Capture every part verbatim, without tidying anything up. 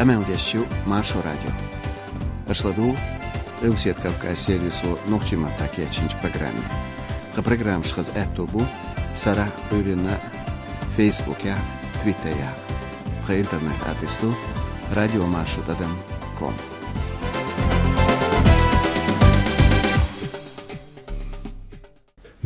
Къамел деш ю Маршо радио. Аша ладугӀу Къилбаседа Кавказ сервисо нохчийн маттахь кечйинчу программе. Тхан программаш хаза аьтто бу сарахь, Ӏуьйранна, Фейсбукехь, Твиттерехь. Тхан интернет-адрес ду радиомаршо тӀадам ком.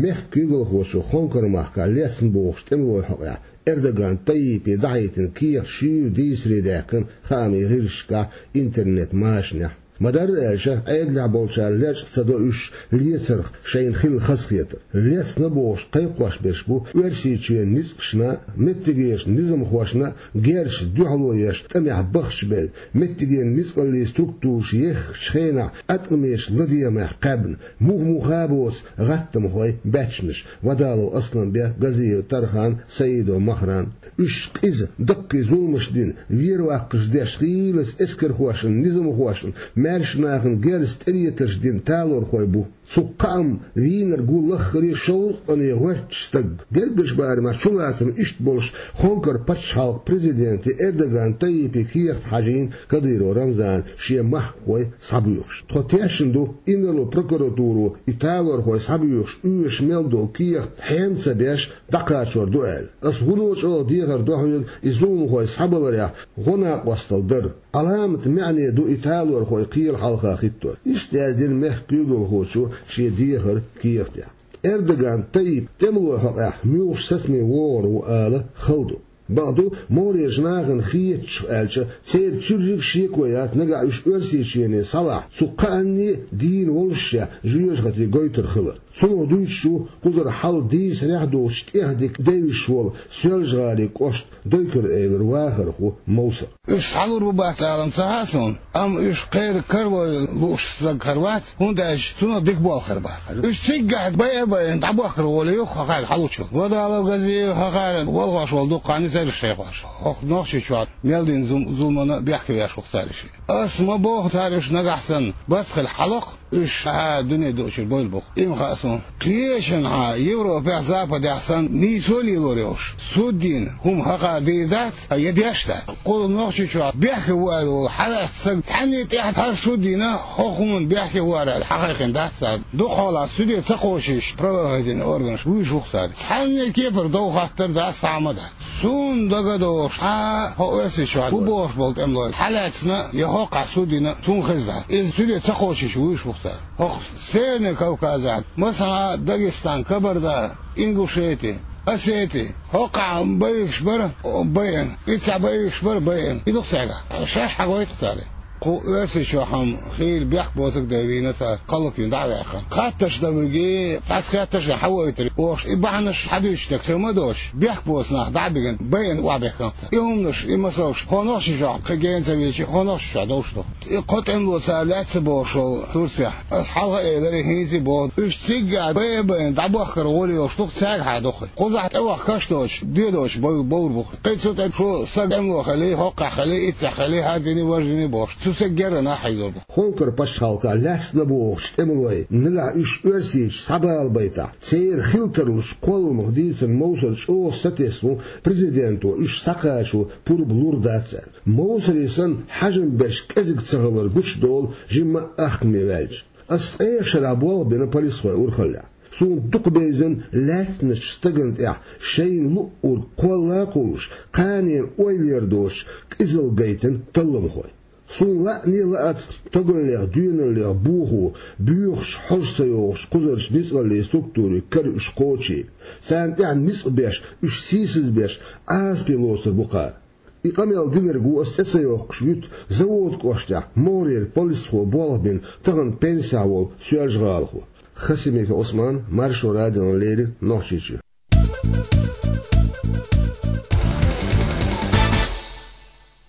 Мехкан куьйгалхочо Хонкар-махкахь лецна бохучу тӀемалойн хьокъехь Эрдоган Таййипе дахьийтина кехат шуьйра дийцаре даьккхина хаамийн гӀирсашкахь, интернет-машанехь. Ма-дарра аьлча, Ӏедалехь болчара лечкъа ца до уьш лецарх шайна хилла хазахетар. Лецна бохуш кхайкхош берш бу Оьрсийчоьнан ницкъашна, меттигерчу низамхошна герзаца дуьхьало еш тӀамехь бахчабелла, меттигерчу ницкъаллийн структураша еххачу хенахь аткъамечу ладегӀамех кхаьбна, муха-муха а боцу гӀаттамхой, баьччанаш: Вадалов Асланбек, Газиев Тархан, Саидов Махрам. Уьш къиза, даккхий зуламаш дина, вер-ваккхаш деш, хийлаза эскархошна, низамхошна, маьрша нахана герзаца тӀелетарш дина талорхой бу. Цу кхаамна вийнарг ву лаххара шовзткъе гӀоьртачу стаг. Гергарчу барамехь чулацам иштта болуш, Хонкар пачхьалкхан президенте Эрдоган Таййипе кехат хьажийна Кадыров Рамзана шен махкахой схьабоьхуш. Тхо тешна ду инарло прокуратуро и талорхой схьабоьхуш оьшуш мел долу кехат хьем ца беш дӀакхачор ду аьлла. Ас вуно чӀогӀа дехар до хьоьга и зуламхой схьабаларехь гӀо накъосталла дар. Ӏаламат маьӀне ду и талорхой кхелан хьалха хӀиттор. Иштта яздина мехкан куьйгалхочо шен дехаран кехатехь. Эрдоган Таййип тӀемалойн хьокъехь муьлхачу сацаме вогӀур ву ала хала ду. Бакъду, могӀарерчу нахана хетачух аьлча, церан цуьрриг а шеко яц, нагахь уьш Оьрсийчоьне схьалахь, цу кхаанне а дийна волушшехь жоьжахати гойтур хилар. Цунах дуьйцуш ву кхузара хьал дийцарехь а доцуш тӀехдика девзаш волу Соьлжа-ГӀалин кӀоштан Дойкар-Эвлара вахархо Мовсар. Уьш схьалур бу бац алам ца хаьа суна, амма уьш кхеран карлой лууш стаг хир вац, хӀунда аьлча цунах дика болх хир бац. Уьш циггахь байа а байина дӀабохкар волуш ю хӀокхаьрга хьалучу. Вадалов, Газиев, хӀокхара валхош волу дукха хан ю церан шайхош. ХӀокху Нохчийчохь мел дина зу-, зуламана бехке веш ву-кх цара уьш. Ас ма боху, цара уьш нагахь санна барт хила хьалакх, уьш хьан дуьне дуучуьра бойла бу-кх. И ма хаьа суна. Кхечанхьа Европехь, Западехь санна нийсо а лелор йолуш, суд йина хӀума хӀокхара дийр дац, я деш дац. Кху Нохчийчохь бехке ву аьлла волу хьалаьцна стаг цхьанне тӀехь хӀара суд йина, хӀокху хӀуманна бехке ву аьлла хьахайкхина дац цара. Дукха хьолахь суде ца кхочуш, правоохранительный органаш вуьйш ву-кх цара. Цхьанне кепара дов хаттар дац, схьа а ма дац. Суна дага а долуш, хьан хӀо Оьрсийчохь бу бохуш болу тӀемалой хьалаьцна я хӀокхахь суд йина, суна хезна дац. Иза суде ца кхочуш вуьйш ву-кх цара. ХӀокху Северный Кавказехь, масала, Дагестан, Кабарда, Ингушети, Осети, хӀокхахь боевикаш бара, о, байина. Иццахь боевикаш бара, байина. И ду-кх цаьргахь. Шаьш хьагойту-кх цара. Кху Оьрсийчохь-м хийла бехк боцург дай вийна цара, кхаллаквина дӀа а ваьккхина. Хатташ дан виги, цхьацца хетташ а хьан войтур, бохуш, и бахьанаш хьадуьйцуш дерг хир ма доцуш, бехк боцу нах дӀа а бигина, байина охьабехкина-кх цара. И хӀуманаш, и масалш, хӀо Нохчийчохь кхин гена ца вийча, хӀо Нохчийчохь довш ду. И кхо тӀемало цара лаьцна бохуш волу Турцехь. Ас хьалха а элира, хӀинца а боху, уьш циггахь байа а байина дӀабохкар волуш йолуш ду-кх цаьргахьа дукха. Кхузахь тӀевахкаш доцуш, де доцуш бов-, бовр бу-кх. Кхин цу тӀе шу стаг тӀемало хили, хӀокхахь хили, иццахь хили, хӀара дини, важа дини бохуш, цу стеган герга нах хьийзор бу. Хонкар пачхьалкхехь лаьцна бохучу тӀемалой, нагахь уьш Оьрсийчу схьабалабайтахь, церан хила тарлуш кхолламах дийцина Мовсар чӀогӀа сатесна ву, президенто уьш схьакхачо пурба лур дац аьлла. Мовсаре санна хьежам берш кӀезиг ца хилар гучудолу жимма а ахкаме ваьлча. Ас ткъех шарахь болх бина полисхойн урхаллехь. Суна дукха бевзина лаьцначу стагана тӀехь шайна луъург кхолла а кхуллуш, кханенан ойла яр доцуш, къизалла гайтина талламхой. Суна лаъане а лаьцна тогаллех, доьналлех бохо, боьхачу хьожа ца йогӀучу кхузарчу ницкъаллийн структурийн кара уьш кхочийла. Царна тӀехь ницкъ беш, уьш сийсаз беш, Ӏазапе лоцур бу кхара. И къамел динарг ву ас цӀе ца йоккхуш вуьту Завода кӀоштехь могӀарера полисхо болх бина, тахана пенсехь волу соьлжа-гӀалахо. Хасимиков Ӏусман, Маршо радиона леррина, Нохчийчуьра.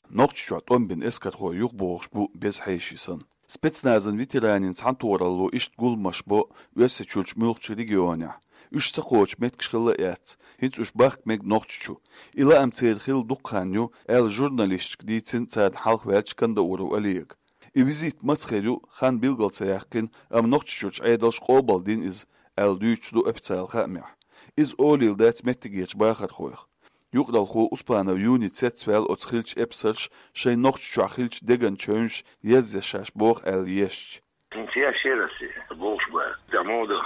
Нохчийчохь тӀом бина эскархой юхабогӀуш бу беза хьеший санна. Спецназан ветеранийн цхьаьнатохаралло иштта гуламаш бо Оьрсийчуьрчу муьлххачу регионехь. Уьш ца кхочу меттигаш хилла а эцна, хӀинца уьш бахка мега Нохчийчу. И лаам церан хилла дукха хан ю, аьлла журналисташка дийцина царна хьалха ваьллачу Кандауров Олега. И визит маца хир ю, хан билгал ца яьккхина, амма Нохчийчуьрчу Ӏедалша къобалдина иза, аьлла дуьйцуш ду официалан хаамехь. Иза олийла дац меттигерчу бахархойх. Юкъаралхо Успанов Юни цецваьлла оцу хиллачу эпсарша шайн Нохчийчохь хиллачу деган чевнаш язъеш шаьш боху аьлла езча. ХӀинца еш яра ас и бохуш бара. Цхьа модах,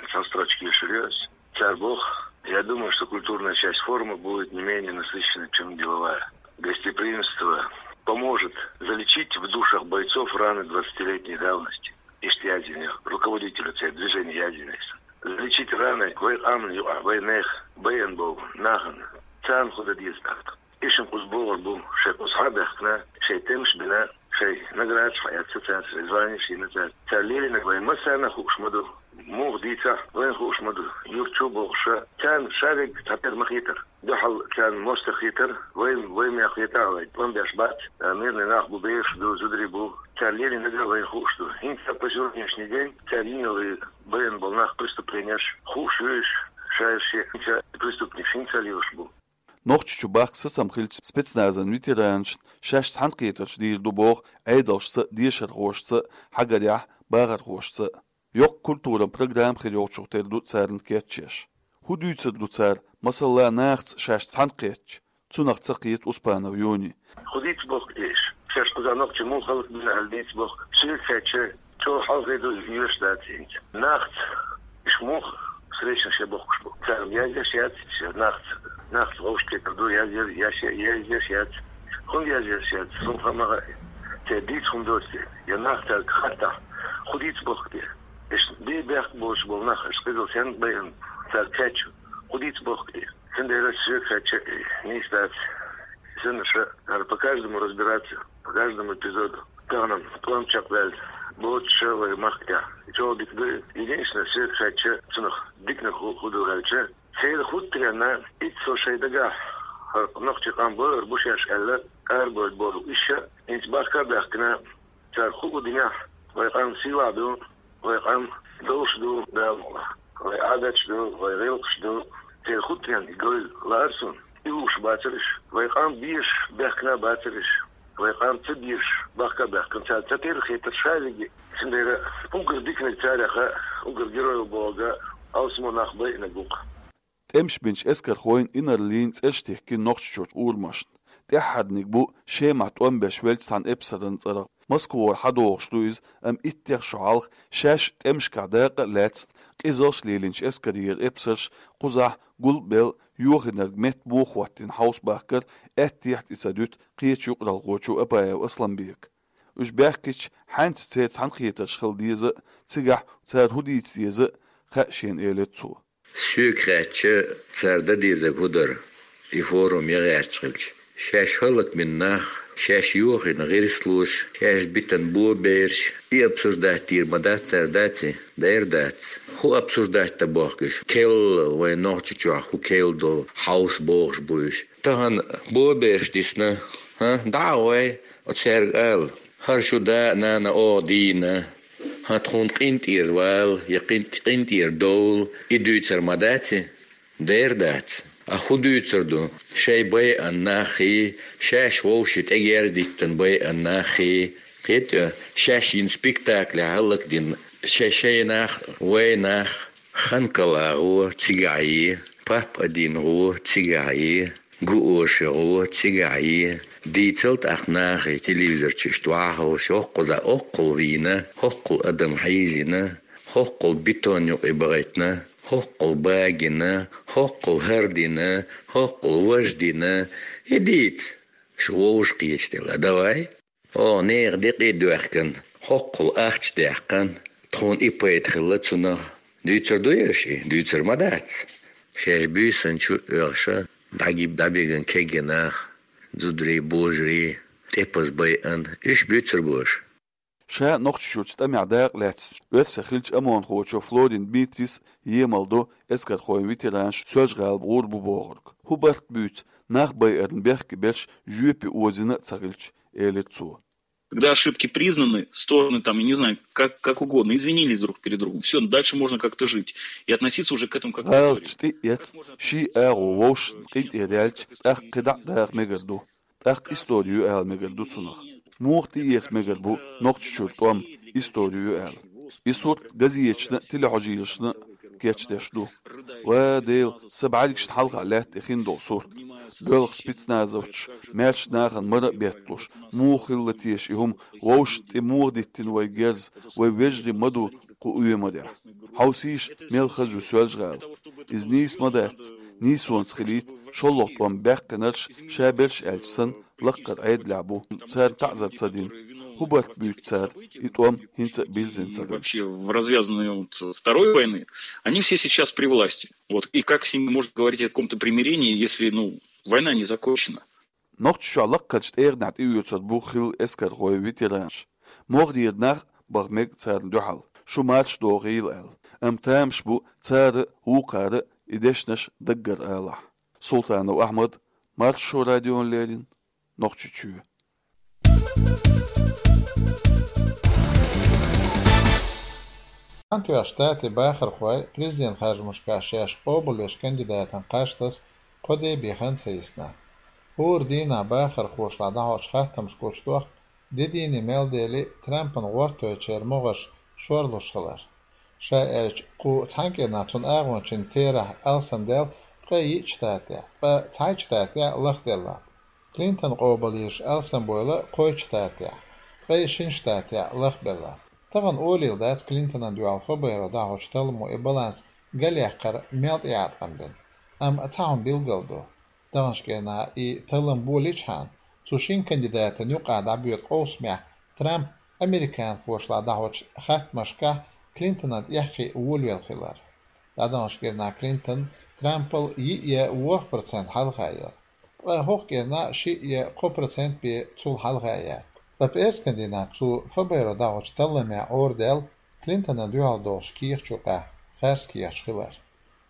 цхьа строчка ешур ю ас. Цара боху: «Я думаю, что культурная часть форума будет не менее насыщенной, чем деловая. Гостеприимство поможет залечить в душах бойцов раны двадцатилетней давности». Иштта яздина ю руководителю церан движения яздина иза. Залечить раны вай къаман юкъахь, вай нехан, байъина болу нахана, царна хӀун дан деза тӀаккха. Иштта кхуза богӀур бу, шайн кхуза схьа а баьхкина, шайн тӀемаш а бина, шайн наградаш схьаэцна цара, шайн званеш а йина цара. Цара лелийнарг вайн массарна а хууш ма ду. Муха дийцахь, вайна хууш ма ду. Юрт чу а бохуш, царна шаверг цхьатерра ма хетара. Дуьхьал царна мостагӀа хетара, вайн, вайн мехь хетахь а вайн, тӀом беш бац, а, мирный нах бу, бераш ду, зударий бу. Цара лелийнарг а вайна хууш ду. ХӀинца по сегодняшний день цара йина йолу байъина болу нах преступленеш хууш ю уьш, шаьш шен хӀинца преступник хӀинца а лелаш бу. Нохчийчу бахка сацам хиллачу спецназан ветеранашна шаьш цхьаьнакхетарш дийр ду боху Ӏедалшца а, дешархошца а, хьагарехь, бахархошца а. Йоккха культуран программа хир йолчух тера ду царна кечъеш. ХӀун дуьйцур ду цара, масала, нахаца шаьш цхьаьнакхеттача? Цунах ца кхета Успанов Юни. ХӀун дийца бохку те уьш? Шаьш кхузахь нохчий муха хӀаллакбина аьлла дийца бохку? Соьга хаьттича, чӀогӀа хьалхе ду, йоьш дац хӀинца. Нахаца уьш муха встречанаш ян бохкуш бу? Цара язъеш яц, шаьш нахаца, нахаца вовшахкхетар ду, язъеш, язъеш яц. ХӀунда язъеш яц? Суна хаа ма хаьа. Церан дийца хӀума доцу те? Я нах цаьрга хаттахь, хӀун дийца бохку те? Иштта бен бехк болуш болу нах, иштта кхидӀа сенна байъина, цаьрга кхаьчча, хӀун дийца бохку те? Цундела соьга хаьттича, нийса дац. Санна ша, надо по каждому разбираться, по каждому эпизоду. Тахана тӀом чекхваьлла боцуш вай махкахь. И чӀогӀа дика ду. Единственное, соьга хаьттича, цунах диканиг хӀу-, хӀун ду аьлча, церан хӀуттаренна, итт со шайн дагахь, хӀара нохчийн къам бойур бу шаьш аьлла, арабевлла болу уьш, хӀинца бахка а баьхкина, цара хӀуъу динехь, вай къам сийлахь ду, вай къам довш ду, Дала мукъалахь. Вай Ӏадаташ ду, вай гӀиллакхаш ду, церан хӀуттаренна и говза лаара суна. И лууш бацара уьш. Вай къам безаш баьхкина бацара уьш. Вай къам ца безаш бахка а баьхкина, цара ца терра хетара шаверг. Цундела уггар диканиг царех, уггар герой бохург алсамо нах байинарг ву-кх. ТӀемаш бинчу эскархойн инарлин цӀераш тихкина Нохчийчуьрчу урамашна. ТӀаьххьарниг бу Шемахь тӀом беш веллачу цхьана эпсаран цӀарах. Москвара хьадогӀуш ду иза, амма иттех шо хьалха шаьш тӀемашкахь дакъа а лаьцна, къизалш а лелийначу эскарера эпсарш кхузахь гулбелла йохийнарг метта муха хӀоттийна хьовсабахкар аьттехьа тӀе ца дуьту кхечу юкъаралхочо Апаев Асламбека. Уьш баьхкича, хьаьнца церан цхьаьнакхетарш хила деза а, цигахь цара хӀун дийца деза а хаьа шена, элира цо. Соьга хаьттича, цара дан дезарг хӀун дара, и форум ян гӀерташ хилча? Шаьш хӀаллакбина нах, шаьш йохийна гӀирслош, шаьш битина бобераш, и обсуждать дийр ма дац цара, дац и? Дера дац. ХӀун обсуждать дан бохку уьш? Керла вайн Нохчийчохь хӀун керла ду, хьовса бохуш бу уьш. Тахана бобераш дисна, хӀа, дӀа а гӀой, оцаьрга ала: «ХӀара шун да а, нана а оха дийна, хӀа, тхуна къинтӀера вала я къинтӀ-, къинтӀера довла», и дуьйцур ма дац и? Дера дац. А хӀун дуьйцур ду шайн байъина наххий, шаьш вовшийн тӀегерз диттина байъина наххий? Кхетий, шаьш йина спектаклехь хӀаллакдина шай-, шайн нах, вайн нах, Ханкал-агӀо цигахь йи, Пап-Адин-гӀо цигахь йи, Гуоши-гӀо цигахь йи, дийцал тӀаккха нахе телевизор чу иштта вахьа хӀорш, хӀоккхуза хӀоккхул вийна, хӀоккхул адам хьийзийна, хӀоккхул бетон юкъе бахийтина, хӀоккхул багийна, хӀоккхул хӀара дина, хӀоккхул важа дина. И дийца, шу вовшахкхеташ делла, давай. Оха нехан декъий а доьхкина, хӀоккхул ахча даьккхина, тхуна и пайда хилла цунах. Дуьйцур ду ерш и? Дуьйцур ма дац. Шаьш буьйсанна чу а оьхуш, дӀаги-, дӀабигина кегий нах, зударий, божарий, тӀепаза байъина, уьш буьйцур бу аша? Ша Нохчийчуьрчу тӀамехь дакъа лаьцначу оьрсех хиллачу ОМОНхочо Флорин Дмитрис емал до эскархойн ветеранаш Соьлжа-ГӀалахь гӀур бу бохург. ХӀун барт буьйцу нах байарна бехке берш жоьпе озийна а ца хилча, элира цо. Когда ошибки признаны, стороны там, я не знаю, как, как угодно, извинились друг перед другом. Все, дальше можно как-то жить. И относиться уже к этому как к истории. ГӀалаташ тӀе а эцна, ший агӀо вовшашна къинтӀера яьлча, тӀаккха кхидӀа а даха мегар ду. ТӀаккха истори ю ала мегар ду цунах. Муха тӀеэца мегар бу Нохчийчуьра тӀом, истори ю ала? И сурт газеташна а, телехьожийлашна а кечдеш ду. Ва Дела, сан бӀаьргашна хьалха лаьтта и хин долу сурт. Боьлху спецназовцаш маьрша нахана мара а бетталуш, муха хилла теша и хӀума, вовшашна тӀе муха диттина вай герз, вай вежарий ма ду кху оьмарехь. Хьовсийша, мел хаза ю Соьлжа-ГӀала. Иза нийса ма дац, нийсонца хилийта, шолгӀа тӀом баьккхинарш, ша берш аьлча санна, лаккхара Ӏедалехь бу, царна таӀзар ца дина. ХӀун барт буьйцу цара, и тӀом хӀинца а бирзина ца И хилча? Вообще в развязанную вот второй войны, они все сейчас при власти. Вот. И как с ними можно говорить о каком-то примирении, если, ну, война не закончена? Нохчийчохь лаккхарчу тӀегӀанехь тӀеоьцур бу хилла эскархой, ветеранаш. МогӀарера нах а баха мега царна дуьхьал, шу марша дохийла аьлла. Амма тамаш бу цара а, вукхара а и дешнаш даггара алахь. Султанов Ахьмад, Маршо радиона леррина, Нохчийчоь. Цхьаьнатоьхна Штатийн бахархой президент харжамашкахь шаьш къобалвеш кандидатан кхаж таса кхо де бехан ца йисна. ХӀора дийнахь бахархошлахь дӀахьочу хаттамашка гучудоккху, де дийне мел дели, Трампан гӀортойчеран могӀарш шорлуш хилар. Ша аьлча, кху цхьана кӀирнахь цунна агӀончийн терахь алсамдаьлла ткъе йиъчу штатехь, ткъа цхьайтта штатехь лахделла. Клинтон къобалйеш алсамбойла кхойтта штатехь, ткъе шина штатехь лахбелла. Тахана олийла дац Клинтонна дуьхьал ФБР-о дӀахьочу талламо и баланс галъяккхар мел тӀеӀаткъам бина. Амма цхьа хӀума билгал ду. Даханчу кӀирнахь и таллам болийчхьана, цу шина кандидатан юкъахь дӀабоьду къовсамехь Трамп американхошлахь дӀахьочу хаттамашкахь Клинтонан тӀеххе волавелла хилар. ДӀадаханчу кӀирнахь Клинтон Трампал йиъ я ворхӀ процент хьалха яра. Ткъа хӀокху кӀирнахь шиъ я кхо процент бен цул хьалха яц. Ткъа пӀераскан дийнахь цу ФБР-о дӀахьочу талламехь Ӏорадаьлла Клинтонна дуьхьал долуш кехаташ юкъахь харц кехаташ хилар.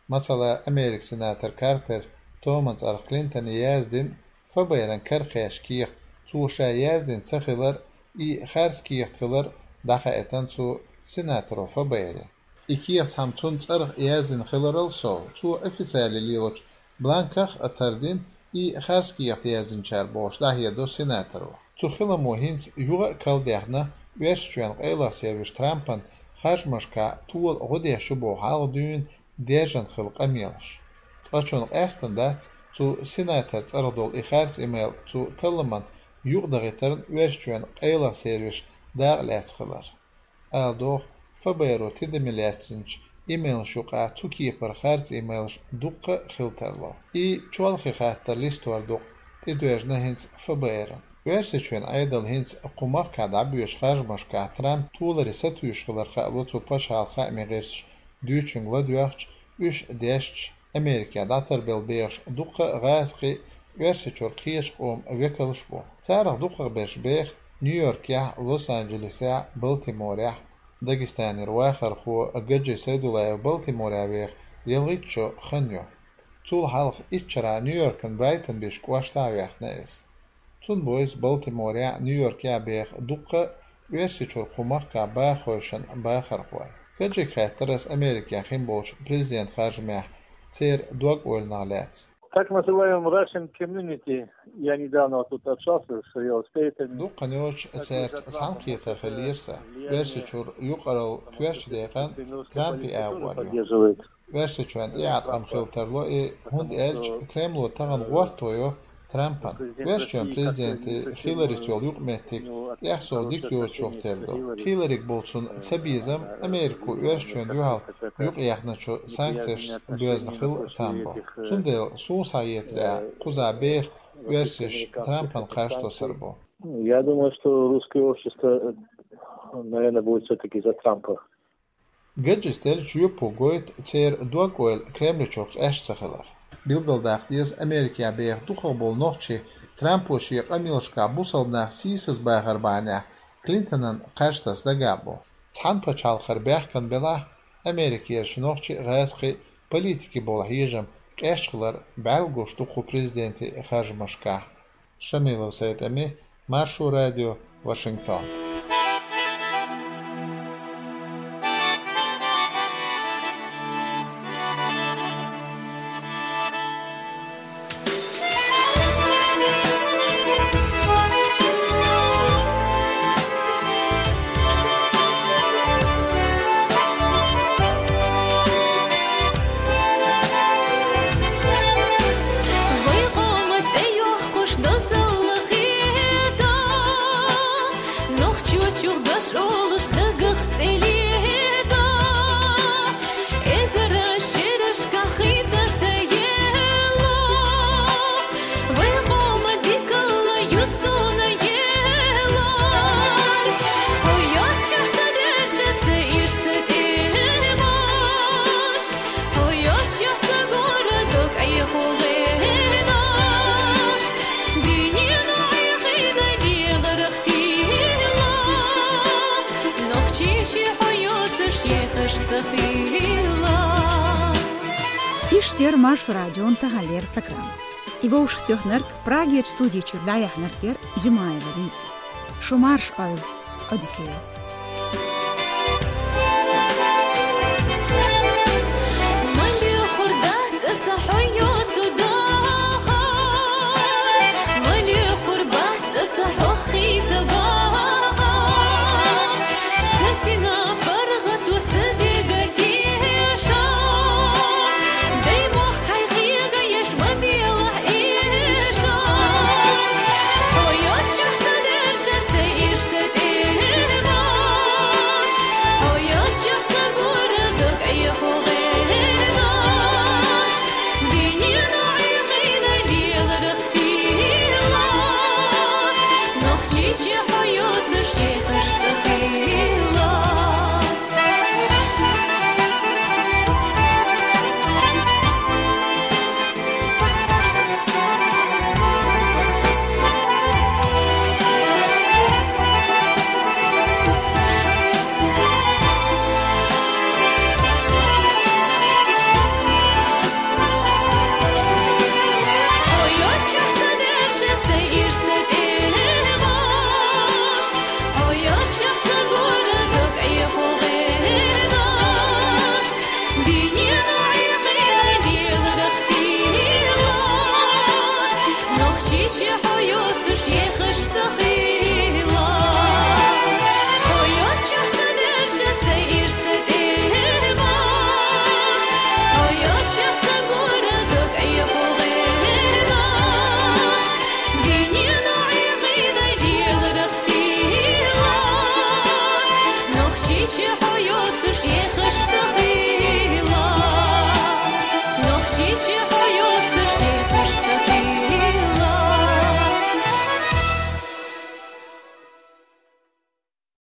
Масала, Американ сенатор Карпер Томан цӀарах Клинтоне яздина ФБР-ан кара кхаьчна кехат, цо ша яздина ца хилар, и харц кехат хилар дӀахаийтина цу сенаторо ФБР-е. И кехат цхьамма цунна цӀарах яздина хиларал сов, цо официале лелочу бланках а тардина, и харц кехат яздинчара бохуш дӀахьедо сенаторо. Цу хиламо хӀинца юха а калдаьхна, Оьрсийчоьнан къайлаха сервисо Трампан харжамашкахь тола гӀо деш ю боху хьалха дуьйна даьржина хилла къамелаш. Цкъачунна къаьстина дац цу сенатор цӀарах долу и харц имейл цу талламан юкъадахийтарна Оьрсийчоьнан къайлаха сервисо дакъа лаьцна хилар. Ала догӀу, ФБР-о тидаме лаьцначу имейлаш юкъахь цу кепара харц имейлаш дуккха а хила тарло. И чолхе хаттар листор ду-кх, тӀедоьжна хӀинца ФБР-ан. Оьрсийчоьнан Ӏедал хӀинца кху махкахь дӀабоьдучу харжамашкахь Трамп толаре сатуьйсуш хилар хаало цу пачхьалкхан хаамийн гӀирсаша дуьйцучуьнга ладоьгӀча, уьш дешча, Америкехь дӀатарбелла бехаш дуккха а гӀазкхи, Оьрсийчуьра кхечу къоман векалш бу. Царах дукхахберш беха Нью-Йоркехь, Лос-Анджелесехь, Балтиморехь. Дагестанера вахархо Гаджи Сайдуллаев Балтиморехь веха ялхитта шо хан ю. Цул хьалха итт шарахь Нью-Йоркан Брайтон бечу кӀоштахь а ваьхна иза. Цунна бу иза Балтиморехь, Нью-Йоркехь беха дуккха а Оьрсийчуьра кху махкахь бахархошна бахархой. Гаджига хаьттира аса Америкехь хин болчу президентан харжамехь церан дог-ойланах лаьцна. Так называемом Russian community, я недавно вот тут общался с real estate-ами. Дукха йоцуш цаьрца цхьаьнакхетар хиллера сан. Оьрсийчуьра юкъаралла коьртачу декъана Трампе агӀор ю. Оьрсийчоьнна тӀеӀаткъам хила тарло и, хӀунда аьлча Кремло тахана гӀортор ю Трампана. Оьрсийчоьнан президенте Хилларис йолу юкъаметтиг тӀехсов дика йоцуш тера ду. Хилларига болу цуьнан цабезам Америко Оьрсийчоьнна дуьхьал юкъаяьхначу санкцешца боьзна хила там бу. Цундела суна схьахетарехь, кхузахь беха оьрсаша Трампана кхаж тосур бу. Я думаю, что русское общество, наверное, будет всё-таки за Трампа. Гаджис деллачу жоьпо гойту церан дог-ойла Кремличух къаьсташ ца хилар. Билгалдаккха деза, Америкехь беха дукхахболу нохчий Трампо шен къамелашкахь бусалба нах сийсазбахар бахьанехь Клинтонан кхаж таса дагахь бу. Цхьана пачхьалкхара баьхкина белахь, Америкерчу нохчий, гӀазкхий, политикий болу хьежам къаьсташ хилар бӀаьрла гуш ду кху президентан харжамашкахь. Шамилов СайтӀеми, Маршо радио, Вашингтон. Иштта яр Маршо радион таханлера программа. И вовшахтоьхнарг, Прагерчу студи чуьра дӀаяьхьнарг яр Димаева Лиза. Шу марша Ӏойла, Ӏодика йойла.